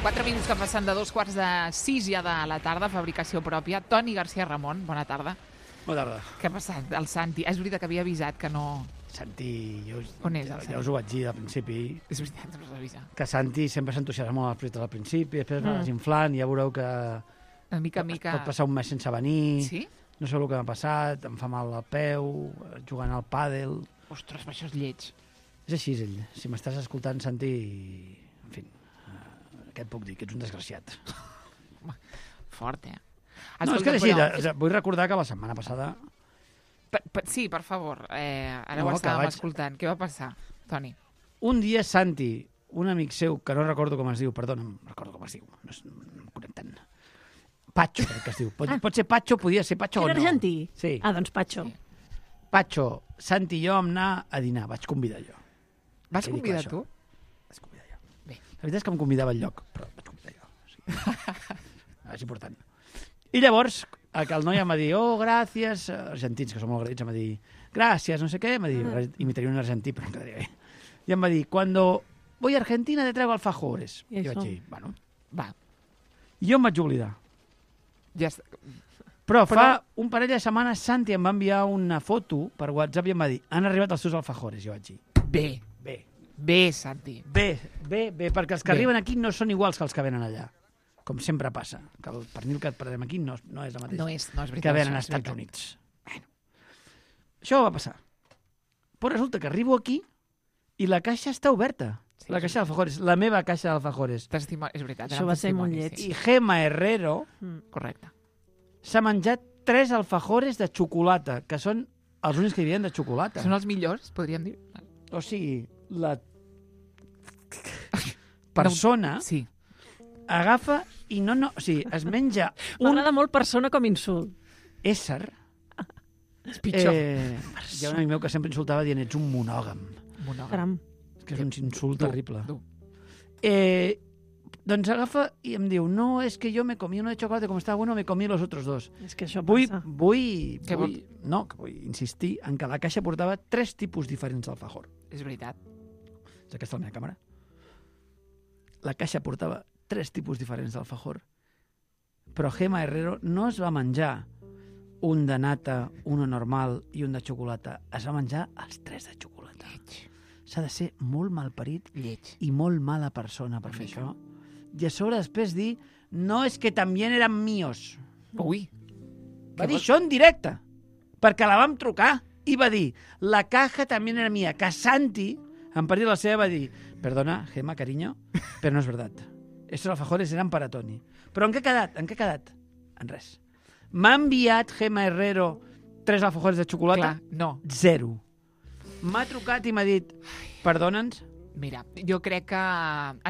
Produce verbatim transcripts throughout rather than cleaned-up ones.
Quatre minuts que passen de dos quarts de sis ja de la tarda, fabricació pròpia. Toni García Ramon, bona tarda. Bona tarda. Què ha passat? El Santi. És veritat que havia avisat que no... Santi, jo, On és el ja, Santi? ja us ho vaig dir al principi, És veritat, no us avisa. que Santi sempre s'entusiasma molt als projectes al principi, després Mm. va desinflant, ja veureu que De mica en mica... pot passar un mes sense venir, Sí? no sé el que m'ha passat, em fa mal al peu, jugant al pàdel... Ostres, això és lleig. És així, ell. Si m'estàs escoltant, Santi, en fi, eh, què et puc dir? Que ets un desgraciat. Fort, eh? No, és que és així, de, de, vull recordar que la setmana passada... Per, per, sí, per favor. Eh, ara No, ho que estàvem vaig- escoltant. Què va passar, Toni? Un dia Santi, un amic seu, que no recordo com es diu, perdona, no recordo com es diu, no, és, no em conec tant. Patxo, crec que es diu. Pot, Ah. pot ser Patxo, podia ser Patxo o Era no. argentí? Sí. Ah, doncs Patxo. Sí. Patxo, Santi i jo vam anar a dinar, vaig convidar jo. Vas Què dic, convidar això? tu? Vaig convidar jo. Bé. La veritat és que em convidava al lloc, però vaig convidar jo. Sí. És important. I llavors, el que el noi em va dir, oh, gràcies, argentins, que som molt agraïts, em va dir, gràcies, no sé què, em va dir, Mm. imitaria un argentí, però em quedaria bé. I em va dir, cuando voy a Argentina te traigo alfajores. I I això? vaig dir, bueno. Va, I jo em vaig oblidar. ja està. Però, Però- fa un parell de setmanes Santi em va enviar una foto per WhatsApp i em va dir, han arribat els teus alfajores. I jo vaig dir, Bé, bé, bé, Santi. bé, bé, bé, perquè els que Bé. arriben aquí no són iguals que els que venen allà. Com sempre passa, que el pernil que perdem aquí no, no és el mateix No és, no és veritat. que venen això, als és Estats veritat. Units. Bueno, això va passar. Però resulta que arribo aquí i la caixa està oberta. Sí, La sí. caixa d'alfajores, la meva caixa d'alfajores. Testimoni, és veritat. Això eren va ser molt testimonis, lleig. sí. I Gemma Herrero Mm. Correcte. s'ha menjat tres alfajores de xocolata, que són els únics que hi havia de xocolata. Són els millors, podríem dir? O sigui, la persona Sí. agafa i no, no, o sigui, es menja un M'agrada molt persona com insult. ésser. És pitjor. Eh, hi ha un amic meu que sempre insultava dient ets un monògam, Monògam. Caram. que és un insult Dur, terrible. dur. Eh, doncs agafa i em diu, no, és que jo me comí uno de chocolate, com estava bueno, me comí los otros dos. És que això Vull, passa. vull, Què vull, no, que vull insistir en que la caixa portava tres tipus diferents d'alfajor. És veritat. És aquesta la meva càmera. La caixa portava tres tipus diferents d'alfajor, però Gemma Herrero no es va menjar un de nata, un normal i un de xocolata. Es va menjar els tres de xocolata. Lleig. S'ha de ser molt malparit Lleig. i molt mala persona per Per fer fer això. I a sobre després dir, no, és que també eren míos. Ui. Va Què dir vol- això en directe, perquè la vam trucar i va dir, la caja també era mía, que Santi, en partir de la seva, va dir, perdona, Gemma, cariño, però no és veritat. Estos alfajores eran para Toni. Però en què ha quedat? En què ha quedat? En res. M'ha enviat Gemma Herrero tres alfajores de xocolata? Clar, no. Zero. M'ha trucat i m'ha dit, perdona'ns, Mira, jo crec que...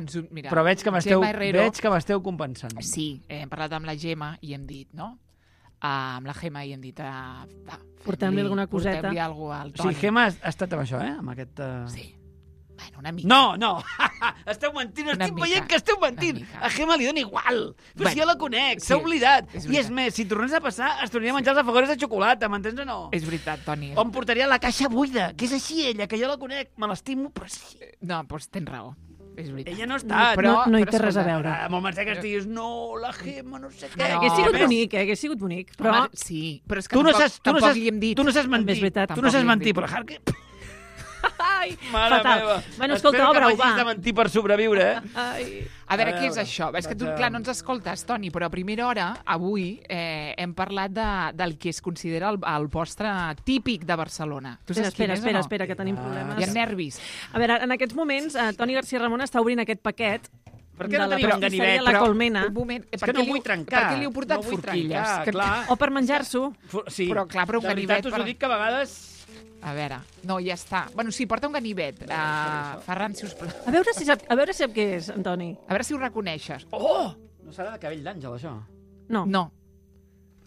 Ens, ho- mira, però veig que m'esteu Gemma Herrero, veig que m'esteu compensant. Sí, eh, hem parlat amb la Gemma i hem dit, no? Uh, amb la Gemma i hem dit... Uh, va, Portem-li alguna coseta. Portem-li alguna cosa al O Toni. sigui, Gemma ha estat amb això, eh? Amb aquest... Uh... Sí. Bueno, una mica. No, no, esteu mentint, Una estic mica, veient que esteu mentint. una mica. A Gemma li dona igual. Però Bueno, si jo la conec, sí, s'ha oblidat. és I és veritat. més, si tornés a passar, es tornaria a menjar els alfajores de xocolata, m'entens o no? És veritat, Toni. O em portaria la caixa buida, que és així ella, que jo la conec, me l'estimo, però sí. No, doncs tens raó. És veritat. Ella no està. Però- no, no hi però té res a escolta, veure. Ara, amb el mensaje que estiguis, no, la Gemma, no sé què. No, Hagués sigut ves? bonic, eh? Hagués sigut bonic. Però Home, sí, però és que Tu no tampoc, saps, tu no tampoc saps, li hem dit. tu no saps També mentir. és veritat. Tu no Tampoc saps li hem mentir, dit. però Harque... Ai, Mare fatal. meva. Bueno, escolta, Espero que obre-ho, m'hagis va. de mentir per sobreviure, eh? Ai. A veure, A què és veure, això? És que tu, vaig a- clar, no ens escoltes, Toni, però a primera hora, avui, eh, hem parlat de, del que es considera el, el postre típic de Barcelona. Tu Espera, saps quin espera, és espera, o no? espera, que tenim Ah, Hi ha problemes. nervis. A veure, en aquests moments, eh, Toni García Ramon està obrint aquest paquet Per què de no la tenim un pastisseria ganivet? La Però, Colmena, Un moment, És per que què no li- vull trencar. Per què li heu portat no vull forquilles? trencar, Que- clar. o per menjar-s'ho. Fu- Sí, Però, clar, però un de ganivet veritat us per- ho dic que a vegades... A veure, no, ja està. Bueno, sí, porta un ganivet. Uh, Ferran, si us plau. A veure si sap, a veure si sap què és, Antoni. A veure si ho reconeixes. Oh! No serà de cabell d'àngel, això? No. No,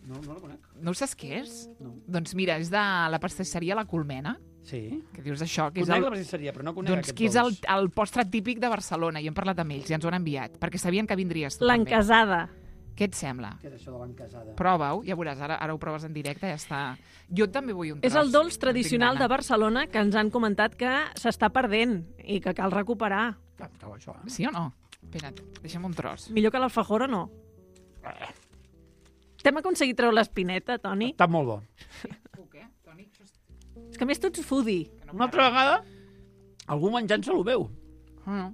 No, no la conec. no ho saps què és? No. Doncs mira, és de la pastisseria La Colmena. Sí. Que dius això, que és Conec el, la pastisseria, però no conec doncs, aquest que és el, dolç. el postre típic de Barcelona. I hem parlat amb ells i ens ho han enviat, perquè sabien que vindries tu també. L'encasada. Què et sembla? Què és això de l'encasada? Prova-ho, ja veuràs, ara, ara ho proves en directe, ja està. Jo també vull un tros. És el dolç en tradicional tinc de gana. Barcelona que ens han comentat que s'està perdent i que cal recuperar. Ah, això, eh? Sí o no? Espera't, deixa'm un tros. Millor que l'alfajor o no? T'hem aconseguit treure l'espineta, Toni? Està molt bo. Puc, eh, Toni? És que a més tu ets foodie. Una altra vegada, algú menjant-se el meu. Ah, no.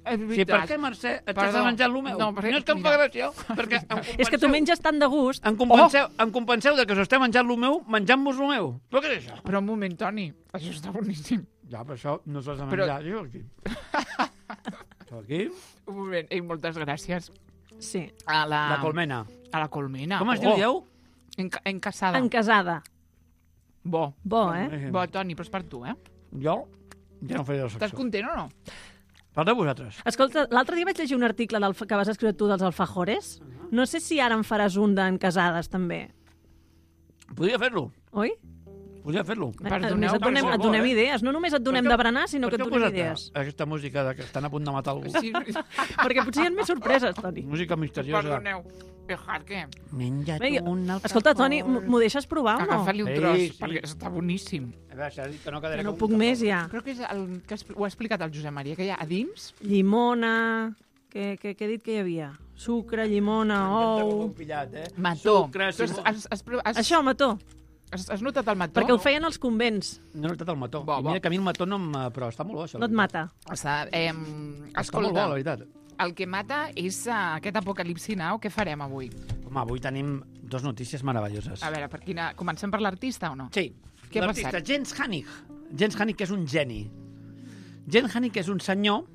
És Sí, veritat. per què, Mercè, et Perdó. estàs menjant el meu? No, perquè- no és que em fa mira. gràcia, perquè em compenseu, És que tu menges tant de gust. em compenseu, oh! em compenseu de que us esteu menjant el meu, menjant-vos el meu. Però què és això? Però un moment, Toni, això està boníssim. Ja, però això no s'ho has de Però- menjar. Però... aquí. Això aquí, Un moment, ei, moltes gràcies Sí. a la... la colmena. A la colmena. Com es Oh, diu, dieu? Enca encasada. Encasada. Bo. Bo, eh? Bo, Toni, però és per tu, eh? Jo ja no faré la Estàs secció. content o no? Per de vosaltres. Escolta, l'altre dia vaig llegir un article del, que vas escriure tu dels alfajores. No sé si ara en faràs un d'encasades, també. Podria fer-lo. Oi? Podria fer-lo. Perdoneu, A més, et donem, per et donem favor, eh? idees. No només et donem Per què- de berenar, sinó Per que què et heu donem posat idees. aquesta música de que estan a punt de matar algú? Sí, Perquè potser hi ha més sorpreses, Toni. Música misteriosa. perdoneu. Dejar que... Menja't Vinga, un alfajor. escolta, Toni, m- m'ho deixes provar o no? Agafa-li un Sí, tros, sí. perquè està boníssim. A veure, s'ha dit que no quedaré Que no com puc un més, alfajor. ja. Crec que és el que expl- ho ha explicat el Josep Maria, que hi ha a dins... Llimona... Què, què, què he dit que hi havia? Sucre, llimona, M'encanta com ho ou... hem pillat, eh? Mató. Sucre, Tu has, Simó. has, has, has, Això, mató. has, has notat el mató? Perquè ho feien als convents. No he notat el mató. Bo, I bo. mira que a mi el mató no em... Però està molt bo, això. No et mata. Està, eh, Està molt bo, escolta, la veritat. el que mata és uh, aquest apocalipsi now. Què farem avui? Home, avui tenim dos notícies meravelloses. A veure, per quina... comencem per l'artista o no? Sí. Què ha L'artista passat? Jens Hannig. Jens Hannig, que és un geni. Jens Hannig és un senyor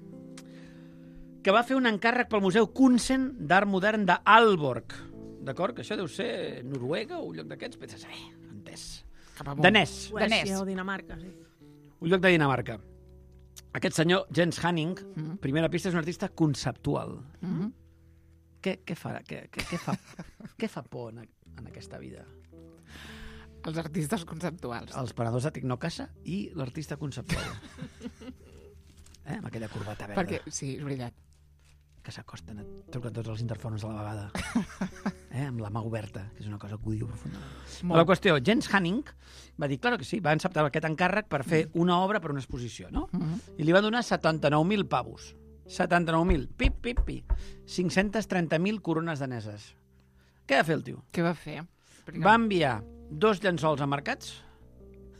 que va fer un encàrrec pel Museu Kunsen d'Art Modern d'Aalborg. D'acord? Que això deu ser Noruega o un lloc d'aquests? Vés a saber, entès. Cap amunt. Danès. Danès. Suècia o Dinamarca, sí. Un lloc de Dinamarca. Aquest senyor, Jens Hannig, Mhm. primera pista, és un artista conceptual. Mhm. Què, què, fa, què, què, què, fa, què fa por en, en aquesta vida? Els artistes conceptuals. Els paradors de Tecnocasa i l'artista conceptual. Eh? Amb aquella corbata verda. Perquè, sí, és veritat. Que s'acosten, et truquen tots els interfons a la vegada. Eh? Amb la mà oberta, que és una cosa que odio profundament. Molt. La qüestió, Jens Hannig va dir, claro que sí, va acceptar aquest encàrrec per fer una obra per una exposició, no? Mhm. I li van donar setanta-nou mil pavos. setanta-nou mil. Pip, pip, pip. cinc-cents trenta mil corones daneses. Què va fer el tio? Què va fer? Perquè... Va enviar dos llençols emmarcats,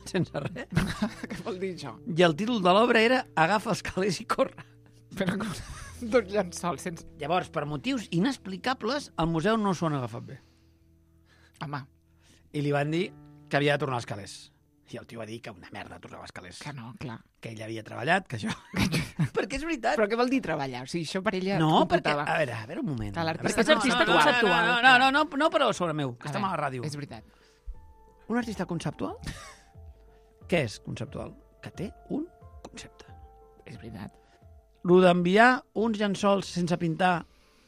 sense res, Què vol dir això? i el títol de l'obra era Agafa els calés i corre. Però com... Dos llençols sense... Llavors, per motius inexplicables, el museu no s'ho han agafat bé. Home, I li van dir que havia de tornar als calés. I el tio va dir que una merda tornava als calés. que no, clar. Que ell havia treballat, que això... perquè és veritat. Però què vol dir treballar? O sigui, això per ella No, es perquè... computava. A veure, a veure un moment. Que l'artista A veure, és artista no, no, conceptual. No, no, no, no, no, no pareu sobre meu, que A estem a la veure, ràdio. És veritat. Un artista conceptual? Què és conceptual? Que té un concepte. És veritat. Lo d'enviar uns llençols sense pintar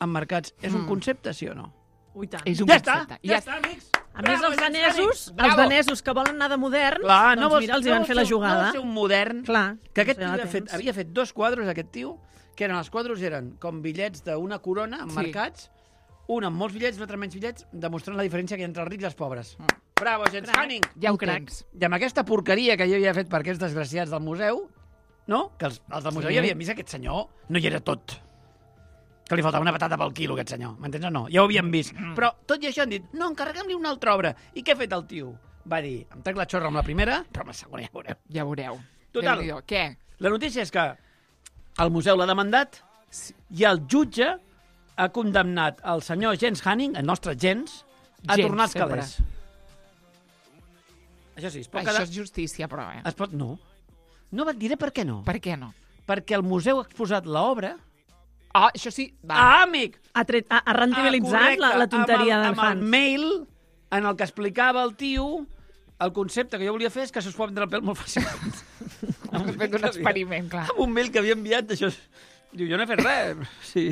emmarcats és un Mm. concepte, sí o no? Ui, tant. És un Ja està, concepte. ja està, amics. A més, Bravo, els Jens danesos, Hannig. els Bravo. danesos que volen anar de moderns, Clar, doncs no vols, mira, els hi no van vols fer la ser un- No jugada. vols ser un modern. Clar. Que aquest no tio sé, havia ara fet, temps. havia fet dos quadres, aquest tio, que eren els quadres eren com bitllets d'una corona emmarcats, un amb molts bitllets, l'altre menys bitllets, demostrant la diferència que hi ha entre els rics i els pobres. Mm. Bravo, Jens Crac. Hannig! Ja ho Un crac. tens. I amb aquesta porqueria que jo havia fet per aquests desgraciats del museu, no? Que els, els del museu Sí. ja havien vist que aquest senyor no hi era tot. Que li faltava una patata pel quilo, aquest senyor. M'entens o no? Ja ho havíem vist. Mm. Però tot i això han dit, no, encarreguem-li una altra obra. I què ha fet el tio? Va dir, em trec la xorra amb la primera, però amb la segona ja veureu. Ja veureu. Total. Déu-n'hi-do. Què? La notícia és que el museu l'ha demandat i el jutge ha condemnat el senyor Jens Hannig, el nostre Jens, a Jens, tornar als sempre. calés. Això sí, es pot Això quedar... és justícia, però, eh? Es pot... No. No, et diré per què no. Per què no? Perquè el museu ha exposat l'obra... Ah, això sí. Va. Ah, amic! Ha, tret, ha, ha rendibilitzat Ah, correcte, la, la tonteria amb el, del amb el Hans. mail en el que explicava el tio el concepte que jo volia fer és que se'ls pot vendre el pèl molt fàcilment. Hem fet un experiment, clar. Amb un mail que havia enviat d'això... Diu, jo no he fet res. Sí.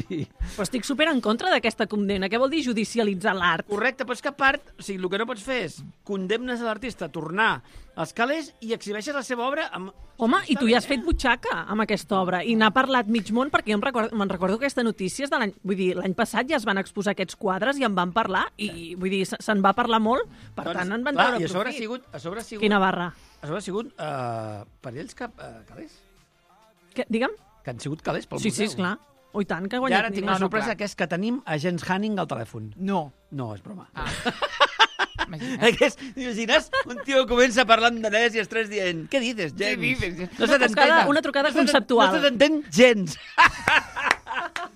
Però estic super en contra d'aquesta condemna. Què vol dir judicialitzar l'art? Correcte, però és que a part, o sigui, el que no pots fer és condemnes a l'artista a tornar als calés i exhibeixes la seva obra amb... Home, i tu ja has Està bé, fet butxaca amb aquesta obra i n'ha parlat mig món, perquè jo em recordo, me'n recordo que aquesta notícia és de l'any... Vull dir, l'any passat ja es van exposar aquests quadres i en van parlar i, vull dir, se- se'n va parlar molt, per Doncs, tant, en van clar, treure I a sobre ha profit. sigut... A sobre ha sigut, Quina barra. a sobre ha sigut uh, per ells cap, uh, calés. Que, digue'm? Que han sigut calés pel Sí, sí, museu. esclar. Oh, i tant, que ha I guanyat ara tinc Nima. una no, sorpresa, clar. que és que tenim a Jens Hanning al telèfon. No. No, és broma. Ah. Imagina't. Aquest, t'imagines? Un tio comença parlant danès i els tres dient què dices, gens? Què dices? No se Una t'entén. trucada- una trucada no se t'en- conceptual. No se t'entén gens.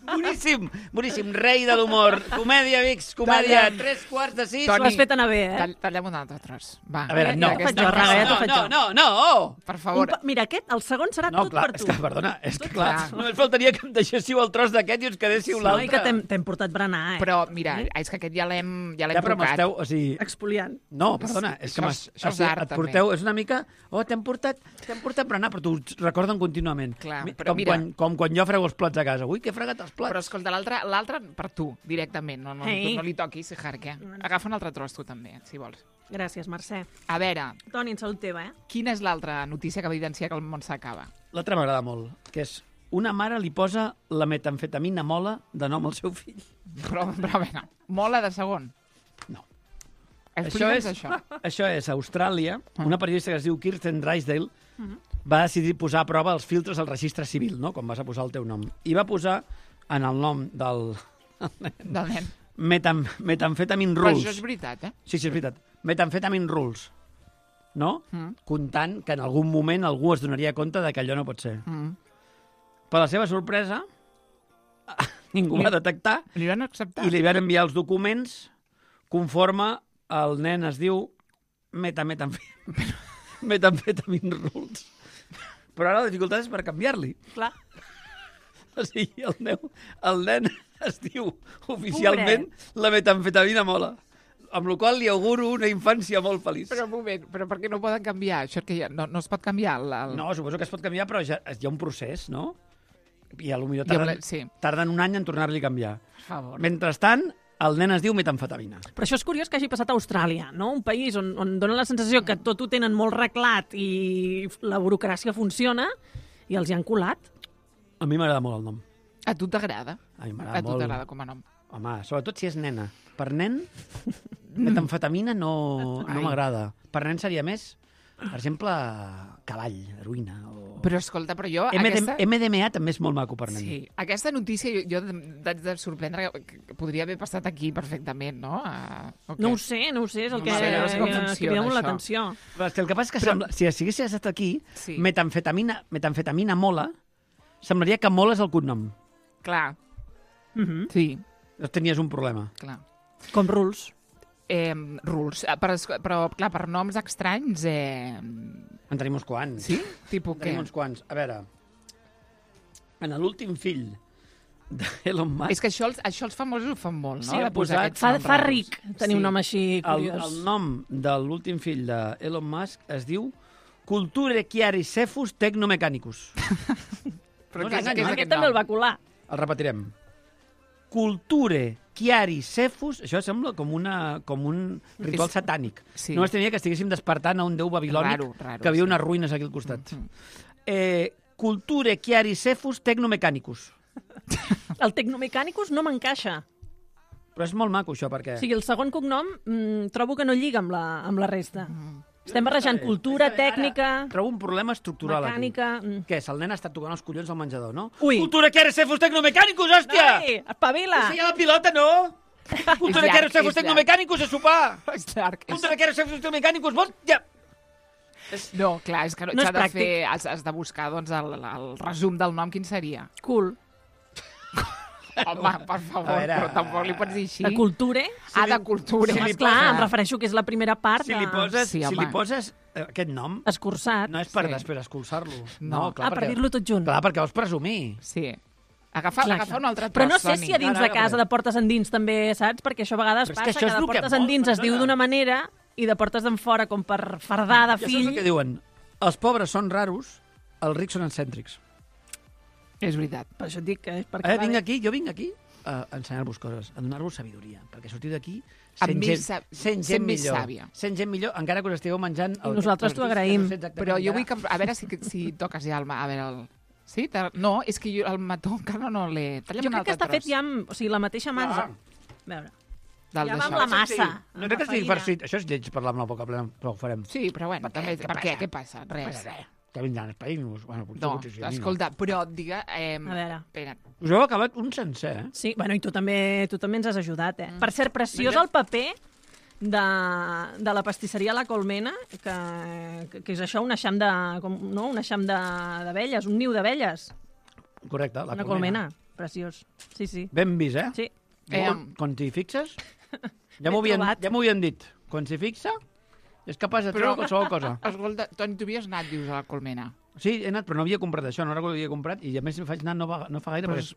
Boníssim, boníssim. Rei de l'humor. Comèdia, amics, comèdia. Talla. Tres quarts de sis. T'ho has fet anar bé, eh? Tall, tallem un altre tros. Va. A veure, no. Ja t'ho faig Aquesta jo, Raga, ja t'ho no, faig no, jo. no, no. Per Un favor. pa- Mira, aquest, el segon serà No, tot clar, per és tu. que, perdona, és que Tot clar, clar. només faltaria que em deixéssiu el tros d'aquest i us quedéssiu No, i l'altre. que t'hem t'hem portat berenar, eh? Però, mira, és que aquest ja l'hem ja l'hem Ja, però tocat. m'esteu... O sigui, Expoliant. no, perdona, és que Això m'has- és- això és o sigui, art, et també. porteu... És una mica... Oh, t'hem portat, t'hem portat berenar, però t'ho recorden contínuament. Clar, Mi- però com, mira- quan, com quan jo frego els plats a casa. Ui, que he fregat els plats. Però escolta, l'altre l'altre per tu, directament. No, no, Ei. tu no li toquis, Jarque. Agafa un altre tros tu també, si vols. Gràcies, Mercè. A veure, Toni, en salut teva, eh? quina és l'altra notícia que evidencia que el món s'acaba? L'altre m'agrada molt, que és una mare li posa la metamfetamina mola de nom al seu fill. Però, però a veure, mola de segon. No. Explica'ns és, això. això és a Austràlia, Ah. una periodista que es diu Kirsten Drysdale va decidir posar a prova els filtres al registre civil, no? Com vas a posar el teu nom. I va posar en el nom del Del nen. metam, metamfetamin Però rules. això és veritat, eh? Sí, sí, és veritat. Metamfetamin rules. No? Mm. Comptant que en algun moment algú es donaria compte de que allò no pot ser. Mm. Per la seva sorpresa, ningú Li- va detectar Li van acceptar. i li van enviar els documents conforme el nen es diu metametamfetamin metamfetamin rules. Però ara la dificultat és per canviar-li. Clar. O sigui, el, meu, el nen es diu oficialment la metamfetamina mola. Amb la qual li auguro una infància molt feliç. Però un moment, però per què no poden canviar? Això que ja, no, no es pot canviar? El, el... No, suposo que es pot canviar, però ja, hi ha un procés, no? I a lo millor Jo tarden, ble- sí. tarden un any en tornar-li a canviar. Per favor. Mentrestant, el nen es diu metamfetamina. Però això és curiós que hagi passat a Austràlia, no? Un país on, on dona la sensació que tot ho tenen molt reglat i la burocràcia funciona i els hi han colat. A mi m'agrada molt el nom. A tu t'agrada? A mi A m'agrada tu molt. t'agrada com a nom? Home, sobretot si és nena. Per nen, metamfetamina no, no Ai. m'agrada. Per nen seria més, per exemple, cavall, heroïna. O... Però escolta, però jo... M D, aquesta... M D M A també és molt maco per nen. Sí, aquesta notícia jo, jo d'haig de sorprendre que, que podria haver passat aquí perfectament, no? Uh, okay. No ho sé, no ho sé, és el No que, sé, no sé com que funciona, crida molt això. l'atenció. Però és que el que passa és que Però- sembla, si haguessis estat aquí, Sí. metamfetamina, metamfetamina mola, semblaria que mola és el cognom. Clar, Mhm. sí, Llavors tenies un problema. clar. Com rules. Eh, rules. Eh, Però, però, clar, per noms estranys... Eh... En tenim uns quants. Sí? Tipo En què? tenim uns quants. A veure, en l'últim fill d'Elon Musk, És que això els, això els famosos ho fan molt, no? Sí, ha De posar posat- aquests Fa, noms fa raros. ric tenir un nom així el, curiós. el nom de l'últim fill d'Elon Musk es diu Culture Chiaricephus Technomechanicus. Però No què és, t'enganyis. què és Aquest aquest també el nom? va colar. El repetirem. Culture Chiaricephus, això sembla com, una, com un ritual És- satànic. sí. No estigués que estiguéssim despertant a un déu babilònic Raro, raro, que havia sí. unes ruïnes aquí al costat. Mhm. Eh, Culture Chiaricephus Technomechanicus. El Tecnomechanicus no m'encaixa. Però és molt maco, això, perquè... O sigui, el segon cognom mm, trobo que no lliga amb la, amb la resta. Mm. Estem barrejant Està bé, cultura, està bé. Ara tècnica, Trobo un problema estructural mecànica... aquí. mm. Què és? El nen està tocant els collons al menjador, no? Ui. Cultura Chiaricephus Technomechanicus, hòstia! Ai, espavila! Sí, a la pilota, no? Cultura llarg, Chiaricephus és llarg. Technomechanicus a sopar! És llarg. És... Cultura Chiaricephus Technomechanicus, vols? Ja! No, clar, és que no, No és s'ha de pràctic. fer... Has, has de buscar, doncs, el, el resum del nom, quin seria? Cool. Home, per favor, A veure, però tampoc li pots dir així. De culture? Ah, de cultura. si Sí, li esclar, posa- em refereixo que és la primera part Si li de... poses, Sí, si home. li poses eh, aquest nom, Escurçat. no és per Sí. després escolçar-lo. No. clar, Ah, per perquè- dir-lo tot junt. Clar, perquè vols presumir. Sí. Agafa, Clar, agafa clar. un altre tros, Però no sé Toni. si a dins Ara, de ara, casa, ara. de portes endins, també, saps? Perquè això a vegades Però és que passa això que, és de el que portes vol, endins es diu perdona. d'una manera i de portes d'enfora, com per fardar de Ja saps fill... el que diuen? Els pobres són raros, els rics són excèntrics. És veritat. Per això et dic que és perquè... Eh, va vinc bé. aquí, jo vinc aquí a ensenyar-vos coses, a donar-vos sabidoria, perquè sortiu d'aquí Amb sent més gent, sab- sent sent gent més millor. sàvia. Sent gent millor, encara que us estigueu menjant... I nosaltres t'ho agraïm. Però jo vull que... A veure si, si toques ja el... ma- A veure, el... Sí? Te- No, és que jo el mató encara no l'he... Tallem Jo un crec que altre està fet tros ja amb o sigui, la mateixa massa. Ah. A veure. del ja va d'això. amb la massa. No amb crec que la sigui per farina. si... Això és lleig parlar amb la boca plena, però ho farem. Sí, però bueno, Per què? també... Què Per què? passa? Què passa? Res. passa res. Que vindran els països. Bueno, potser, No, potser sí, a mi escolta, però diga... Eh, A veure. Espera, No. Us heu acabat un sencer, eh? Sí, bueno, i tu també, tu també ens has ajudat, eh? Mm. Per cert, preciós Vinga. el paper de, de la pastisseria La Colmena, que, que, que és això, un eixam de, com, no? un eixam de- d'abelles, un niu d'abelles. Correcte, la Una colmena. Preciós. Sí, sí. Ben vist, eh? Sí. Eh, Quan, quan t'hi fixes, ja L'he m'ho havien, trobat. ja m'ho havien dit. Quan s'hi fixa, és capaç de treure Però- qualsevol cosa. escolta, Toni, tu havies anat, dius, a la Colmena. Sí, he anat, però no havia comprat això, no recordo que havia comprat, i a més faig anar no, va, no fa gaire, Però perquè...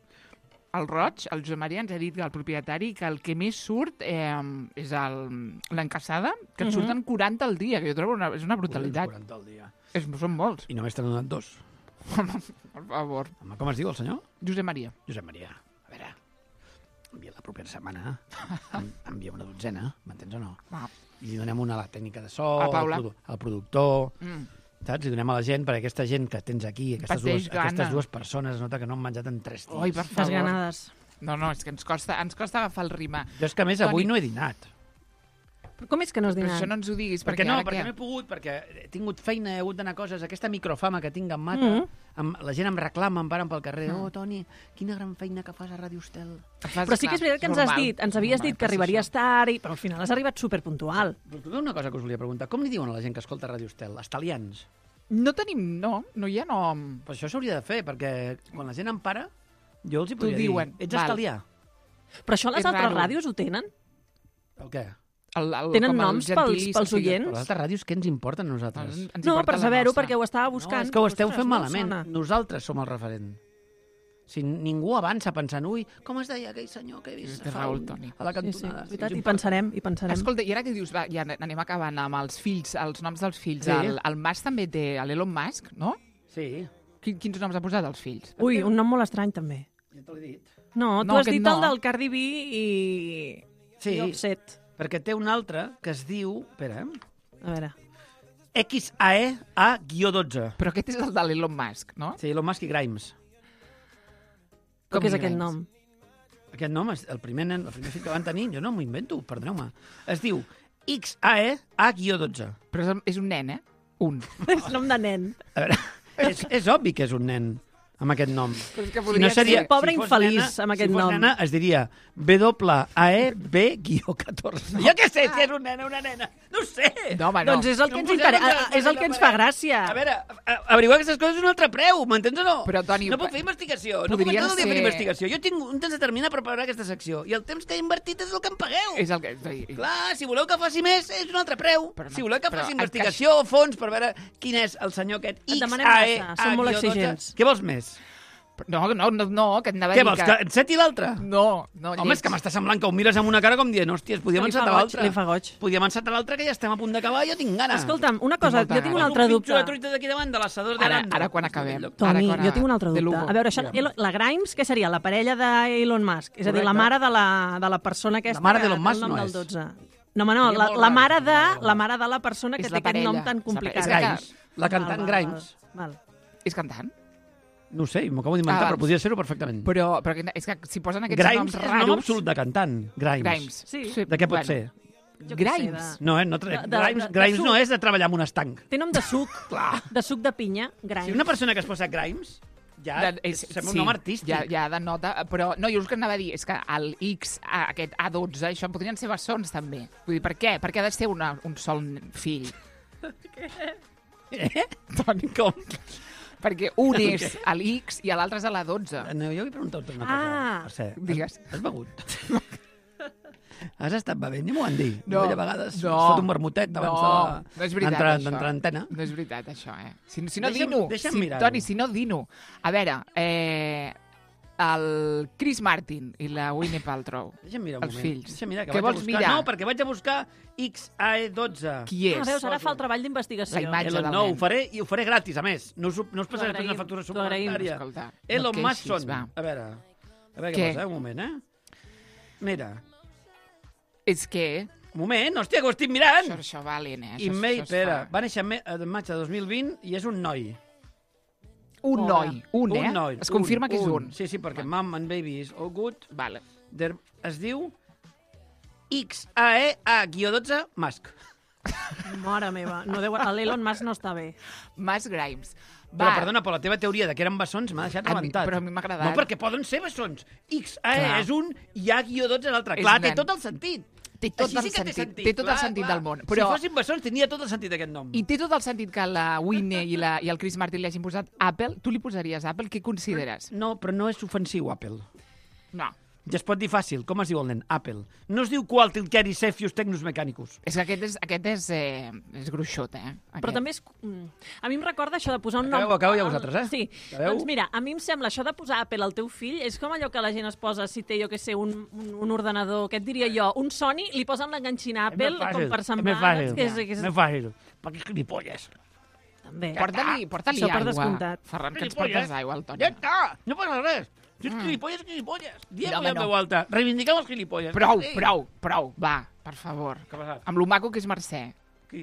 El Roig, el Josep Maria, ens ha dit que el propietari que el que més surt eh, és el- l'encaçada, que et Mhm. surten quaranta al dia, que jo trobo una, és una brutalitat. quaranta al dia. És, són molts, I només t'han donat dos. per favor. Home, com es diu el senyor? Josep Maria. Josep Maria. A veure, envia la propera setmana, en- envia una dotzena, m'entens o no? Va. I li donem una a la tècnica de so, A Paula. al, produ al productor, Mm. saps? Li donem a la gent, perquè aquesta gent que tens aquí, aquestes, Pateix dues, aquestes gana. dues persones, es nota que no han menjat en tres dies. Oi, per favor. Desganades. No, no, és que ens costa, ens costa agafar el rima. Jo és que a més Toni. avui no he dinat. Però com és que no has Però dinat? això no ens ho diguis, Perquè perquè, no, ara perquè què? no he pogut, perquè he tingut feina, he hagut d'anar a coses, aquesta microfama que tinc em mata, Mhm. em, la gent em reclama, em paren pel carrer, Mm. oh, Toni, quina gran feina que fas a Ràdio Estel. Fas, Però sí que és veritat que ens has normal, dit, ens havies normal, dit que passa arribaries això. tard, i, però al final has arribat superpuntual. Però tu una cosa que us volia preguntar, com li diuen a la gent que escolta Ràdio Estel? Estalians. No tenim, no, no hi ha nom. Però això s'hauria de fer, perquè quan la gent em para, jo els hi T'ho podria diuen, dir, ets val. estalià. Però això les És altres raro. ràdios ho tenen? El què? El, el, Tenen com el noms pels- gentilici, pels o sigui, oients? Però les altres ràdios què ens importen a nosaltres? Ens, ens No, importa per la saber-ho, nostra. perquè ho estava No, buscant. és que ho esteu Ostres, fent no em malament. sona. Nosaltres som el referent. Si ningú avança pensant, ui, com es deia aquell senyor que he vist Té fa raó, un- Toni. a la Sí, sí, cantonada? és veritat, Ens i importa. pensarem, i pensarem. Escolta, i ara que dius, va, ja anem acabant amb els fills, els noms dels fills. Sí. El, el Musk també té, l'Elon Musk, no? Sí, Quin, quins noms ha posat als fills? Ui, un nom molt estrany, també. ja te l'he dit. No, tu No, has aquest dit no. el del Cardi B i... Sí, i Offset. perquè té un altre que es diu... Espera, eh? A veure. X A E A dotze. Però aquest és el de l'Elon Musk, no? Sí, Elon Musk i Grimes. Com Com és i aquest Grimes? nom? Aquest nom, és el primer nen, el primer fill que van tenir, jo no m'ho invento, perdoneu-me. Es diu X A E A dotze. Però és, és un nen, eh? Un. És nom de nen. A veure, és, és obvi que és un nen amb aquest nom. Però és que Si podria no seria, ser. Pobre si fos infeliç nena, amb aquest si fos nom. nena, es diria W A E B catorze. Jo què sé, si és un nen o una nena. No ho sé. No, home, no. Doncs és el No que em ens, poseu inter... contra la és el que ens fa gràcia. A veure, a- averiguar aquestes coses és un altre preu, m'entens o no? Però, Toni, no puc fer investigació. No puc podrien estar tot el dia fent ser- investigació. Jo tinc un temps determinat per preparar aquesta secció i el temps que he invertit és el que em pagueu. És el que... Clar, si voleu que faci més, és un altre preu. Però no- si voleu que però faci en investigació o fons per veure quin és el senyor aquest Et X demanem A E massa, som molt A dotze, exigents. què vols més? No, no, no, no, que et anava a Què dir vols, que enceti l'altre? No, no, Home, és que m'està semblant que ho mires amb una cara com dient, hòsties, podíem Li fa encetar goig, l'altre. li fa goig. Podíem encetar l'altre, que ja estem a punt d'acabar, jo tinc gana. Escolta'm, una cosa, molta jo tinc un gana. altre Un dubte. pinxo de truita d'aquí davant, de l'assador de Ara, Lando. ara quan acabem. Toni, Ara, quan jo tinc un altre de dubte. Lugo. A veure, això, Ja. la Grimes, què seria? La parella d'Elon Musk? És a dir, la Correcte. mare de la, de la persona aquesta La mare que d'Elon té el Musk nom no del és. dotze. No, home, no, Seria la, molt la, raro, mare seria de, molt la raro. mare de la persona que És té la aquest parella. nom tan És la complicat. parella. Grimes, la cantant Val, val, Grimes. Val, val. És cantant? No ho sé, m'ho acabo d'inventar, Ah, però podria ser-ho perfectament. Però, però que- és que si posen aquests Grimes noms és raros... nom absolut de cantant. Grimes. Grimes. Sí. De què pot bueno. ser? Jo què sé, Grimes. de- No, eh? No tra... De- de- Grimes, de- de Grimes suc. no és de treballar amb un estanc. Té nom de suc, Clar. de suc de pinya, Grimes. Si una persona que es posa Grimes, ja De- és- sembla sí, un nom artístic. Ja, ja denota, però no, jo el que anava a dir és que el X, a- aquest A dotze, això podrien ser bessons també. Vull dir, per què? Perquè ha de ser una, un sol fill. Eh? Toni, Com? perquè un és a l'X i l'altre és a la dotze. No, jo vull preguntar-te una cosa. Ah. Per cert, Digues. Has, has begut? Has estat bevent? Ja m'ho han dit. No, Jo a vegades no, has fet un vermutet abans no, de- no és veritat, d'entrar això. d'entrar a antena. No és veritat, això, eh? Si, si no, Deixa'm- dino. deixa'm si, mirar-ho. Toni, si no, dino. A veure, eh, el Chris Martin i la Winnie Paltrow. Deixa'm mirar un Els moment. fills. Deixa'm mirar, que Què vaig a vols buscar... mirar? No, perquè vaig a buscar X A E dotze. Qui és? Ah, veus, ara fa el treball d'investigació. La imatge. Elon, del no, nen. ho faré, i ho faré gratis, a més. No us, ho- no us passaré agraïm, una factura t'ho agraïm. suplementària. Escolta, no Elon et Musk queixis, són... va. A veure, a veure què, Què? passa, un moment, eh? Mira, És que... un moment, hòstia, que ho estic mirant! Això, això va lent, eh? Això, Email, això es espera, fa. va néixer me- en maig de dos mil vint i és un noi. Un Hola. noi, un, eh? Un noi. Es confirma que és un. Sí, sí, perquè Mom and Baby is all good. Vale. There, es diu X A E A dotze Musk. Mare meva, no deu... l'Elon Musk no està bé. Mas Grimes. Però, perdona, però la teva teoria de que eren bessons m'ha deixat A mi- rebentat. però a mi m'ha agradat. No, perquè poden ser bessons. X, A, Clar. és un, i A guió dotze és l'altre. És Clar, té nen. tot el sentit. Té tot Així el sí que té sentit, sentit. té tot el clar, sentit clar. del món, però- Si fossin bessons, tenia tot el sentit aquest nom. I té tot el sentit que la Whitney i, la, i el Chris Martin li hagin posat Apple. Tu li posaries Apple? Què consideres? No, però no és ofensiu, Apple. No. Ja es pot dir fàcil. Com es diu el nen? Apple. No es diu Qualtilqueri Cefius Tecnus Mechanicus. És que aquest és, aquest és, eh, és gruixot, eh? Aquest. Però també és... mm, A mi em recorda això de posar un nom... Acabeu, acabeu ja vosaltres, eh? Sí. Acabeu? Doncs mira, a mi em sembla això de posar Apple al teu fill és com allò que la gent es posa si té, jo que sé, un, un, un ordenador, què et diria jo, un Sony, li posen l'enganxina És més Apple fàcil, com per és semblar... més fàcil. Que és, que és... Més fàcil. Perquè és gilipolles. També. Porta-li porta Això per aigua, descomptat. Ferran, que ens Gilipolles. portes aigua al Toni. Ja està, no passa res. Si és gilipolles, és gilipolles. Diem-ho home, en no. veu alta. Reivindiquem els gilipolles. Prou, Sí. prou, prou. Va, per favor. Què ha passat? Amb lo maco que és Mercè. Qui?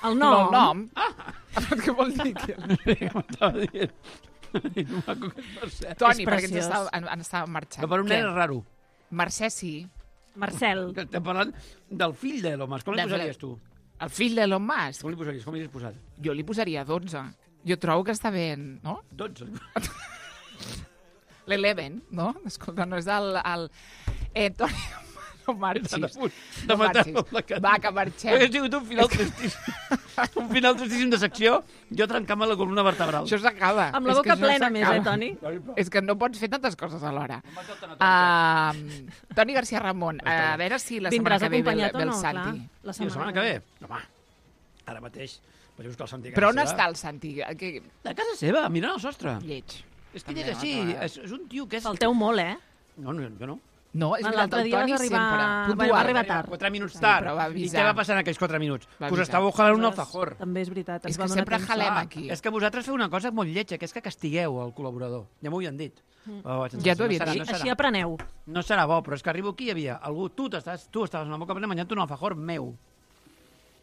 El No, nom. el nom. Ah. Què vol dir? Que... Què m'estava dient? No maco que és Mercè. Toni, És perquè ens preciós. estava, en, en estava marxant. Que per un Què? nen és raro. Mercè sí. Marcel. Que estem parlant del fill de l'home. Com li De- posaries tu? El fill d'Elon Musk. Com li posaries? Com li has posat? Jo li posaria dotze. Jo trobo que està bé, no? dotze. L'Eleven, no? Escolta, no és el... el... Eh, Toni, no marxis. De punt de No matar-lo marxis. amb la cara. Va, que marxem. Hauria sigut un final tristíssim. Un final tristíssim de secció, jo trencant-me la columna vertebral. Això s'acaba. Amb la És que boca això plena més, eh, s'acaba. Toni? És que no pots fer tantes coses alhora. Uh, Toni García Ramon, a veure si la setmana Vindràs que ve ve, el- acompanyat ve o el no? Santi. Clar, la Sí, la setmana que ve. Home, ara mateix vaig a buscar el Santi a casa Però on seva. està el Santi? Que... A casa seva, mirant el sostre. Lleig. És que També, ell és així, no, no, no. és, és un tio que és... Falteu molt, eh? No, no, jo no. No, és veritat, L'altre el dia Toni vas arribar- sempre. va Puntual. arribar tard. Quatre minuts Sí, tard. però va I avisar. què va passar en aquells quatre minuts? Va Que us avisar. estàveu jalant un alfajor. També és veritat. ens És que va donar sempre temps. jalem Ah, aquí. és que vosaltres feu una cosa molt lletja, que és que castigueu el col·laborador. Ja m'ho havien dit. Oh, vaig Ja t'ho no havia serà, dit. no serà. Així apreneu. No serà bo, però és que arribo aquí i hi havia algú... Tu, t'estàs, tu estaves en la boca plena menjant un alfajor meu.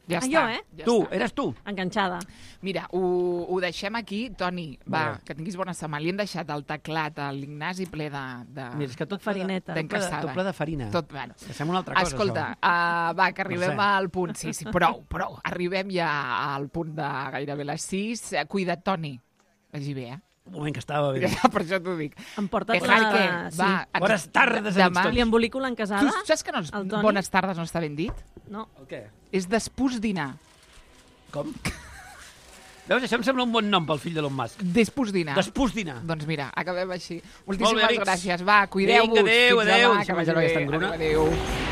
Ja Ah, està. jo, eh? Ja tu, està. eres tu. Enganxada. Mira, ho, ho deixem aquí. Toni, va, Vale. que tinguis bona setmana. Li hem deixat el teclat a l'Ignasi ple de... de... Mira, és que tot Farineta. Ple de, tot, ple de, D'encassada. tot ple de farina. Tot, bueno. Que sembla una altra cosa, Escolta, això. uh, va, que arribem No sé. al punt. Sí, sí, prou, prou. Arribem ja al punt de gairebé les sis. Eh, Cuida't, Toni. Vagi bé, eh? Un moment que estava bé. Per això t'ho dic. Em portes Que la... Jaque, Sí. va. ens- Bones tardes a demà. tots. Li embolico Tu l'encasada? saps que no, és- El Toni? bones tardes no està ben dit? No. El què? És despús dinar. Com? Veus, això em sembla un bon nom pel fill d'Elon Musk. Despús dinar. Despús dinar. Doncs mira, acabem així. Molt bé, Moltíssimes amics. gràcies. Va, cuideu-vos. Vinga, adéu, Fins adéu. demà, Si que m'ha vagi aquesta bé. engruna. Adéu, adéu.